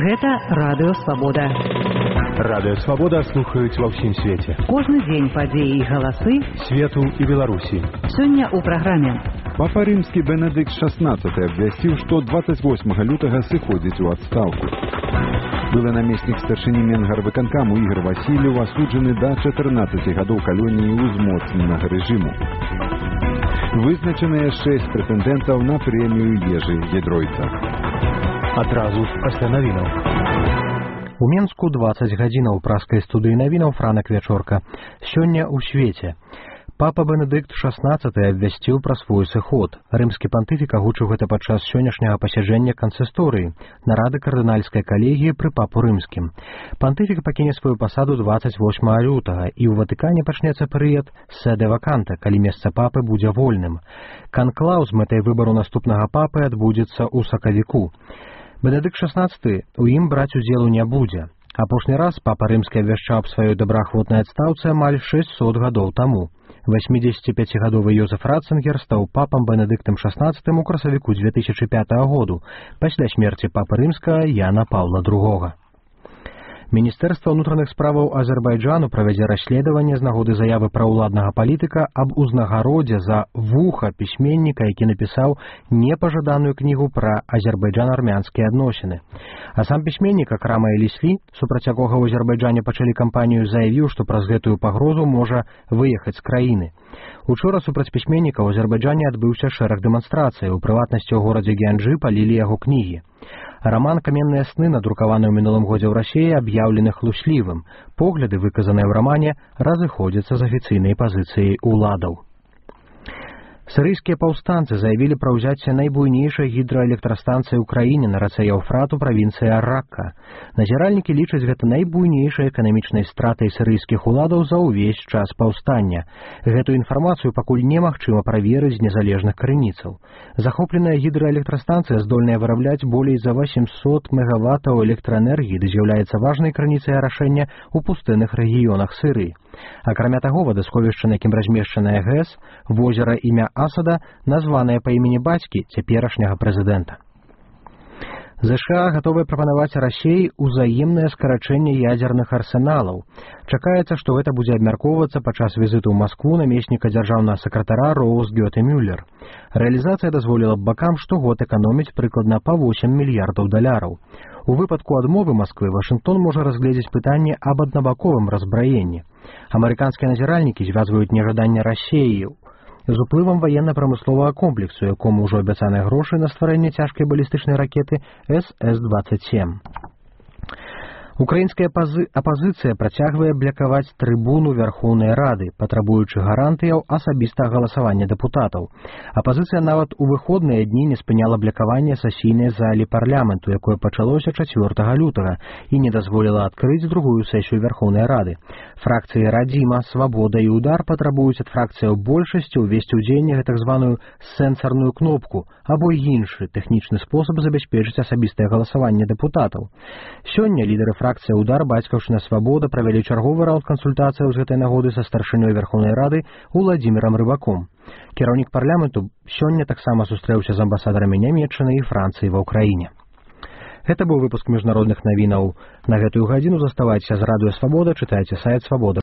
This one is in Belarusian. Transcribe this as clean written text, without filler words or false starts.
Гэта Радыё Свабода. Радыё Свабода слухаюць ва ўсім свеце. Кожны дзень падзеі і галасы свету і Беларусі. Сёння ў праграме. Папа Рымскі Бенедыкт XVI абвясціў, што 28 лютага сыходзіць у адстаўку. Былы намеснік старшыні Менгарвыканкаму Ігор Васильев асуджаны да 14 гадоў калоніі ўзмоцненага рэжыму. Вызначаныя 6 прэтэндэнтаў на прэмію Ежы Гідройца. Адразу пасля навінаў. У Менску 20 гадзінаў праскай студыі навінаў Франак Вячорка. Сёння ў свеце. Папа Бенедыкт XVI абвясціў пра свой сыход. Рымскі пантыфік агучыў гэта падчас сённяшняга пасяджэння кансісторыі, нарады кардынальскай калегіі пры папу рымскім. Пантыфік пакіне сваю пасаду 28 лютага, і ў Ватыкане пачнецца перыяд седе ваканта, калі месца папы будзе вольным. Канклаў з мэтай выбару наступнага папы адбудзецца ў сакавіку. Бенедыкт XVI у ім браць удзелу не будзе. Апошні раз папа рымскі абвяшчаў аб сваёй добраахвотнай адстаўцы амаль 600 гадоў таму. 85-гадовы Йозеф Ратцингер стаў папам Бенедыктам XVI у красавіку 2005 году, пасля смерці папы рымскага Яна Паўла II. Міністэрства ўнутраных справаў Азербайджану правядзе расследаванне з нагоды заявы праўладнага палітыка аб узнагародзе за вуха пісьменніка, які напісаў непажаданую кнігу пра азербайджан-армянскія адносіны. А сам пісьменнік Акрама Эліслі, супраць якога ў Азербайджане пачалі кампанію, заявіў, што праз гэтую пагрозу можа выехаць з краіны. Учора супраць пісьменніка ў Азербайджане адбыўся шэраг дэманстрацый, у прыватнасці ў горадзе Гянджы палілі яго кнігі. Раман «Каменныя сны», надрукаваны ў мінулым годзе ў Расіі, аб'яўлены хлуслівым. Погляды, выказаныя ў рамане, разыходзяцца з афіцыйнай пазіцыяй уладаў. Сірыйскія паўстанцы заявілі пра ўзяцце найбуйнейшай гідраэлектрастанцыі ў краіне на рацэ Яўфрат у правінцыі Ар-Ракка. Назіральнікі лічаць гэта найбуйнейшай эканамічнай стратай сірыйскіх уладаў за ўвесь час паўстання. Гэтую інфармацыю пакуль немагчыма праверыць з незалежных крыніцаў. Захопленая гідраэлектрастанцыя здольная вырабляць болей за 800 мегаваттаў электраэнергіі, ды з'яўляецца важнай крыніцай арашэння ў пустынных рэгіёнах Сірыі. Акрамя таго, вадасховішча, на якім размешчаная ГЭС, возера імя Асада, названае па імені бацькі цяперашняга прэзідэнта. ЗША гатовыя прапанаваць Расіі ўзаемнае скарачэнне ядзерных арсеналаў. Чакаецца, што гэта будзе абмяркоўвацца падчас візіту ў Маскву намесніка дзяржаўнага сакратара Роуз Гёте Мюллер. Рэалізацыя дазволіла б бакам штогод эканоміць прыкладна па $8 мільярдаў. У выпадку адмовы Масквы Вашынгтон можа разгледзець пытанне аб аднабаковым разбраенні. Амерыканскія назіральнікі звязваюць нежаданне Расіі з уплывам ваенна-прамысловага комплексу, якому ўжо абяцаныя грошы на стварэнне цяжкай балістычнай ракеты СС-27. Украінская апазіцыя працягвае блакаваць трыбуну Вярхоўнай Рады, патрабуючы гарантыяў асабістага галасавання дэпутатаў. Апазіцыя нават у выходныя дні не спыняла блакаванне сесійнай залі парламенту, якое пачалося 4 лютага, і не дазволіла адкрыць другую сесію Вярхоўнай Рады. Фракцыі Радзіма, Свабода і Удар патрабуюць ад фракцыяў большасці ўвесці ў дзеянне так званую сэнсарную кнопку або іншы тэхнічны спосаб забяспечыць асабістае галасаванне дэпутатаў. Сёння лідары фракцыя Удар, Бацькаўшчына, Свабода правялі чарговы раунд кансультацыяў з гэтай нагоды са старшынёй Верхоўнай Рады Уладзімірам Рыбаком. Кіраўнік парламенту сёння таксама сустрэўся з амбасадарамі Нямецчыны і Францыі ва ўкраіне. Гэта быў выпуск міжнародных навінаў. На гэтую гадзіну заставайцеся з Радыё Свабода, чытайце сайт Свабода.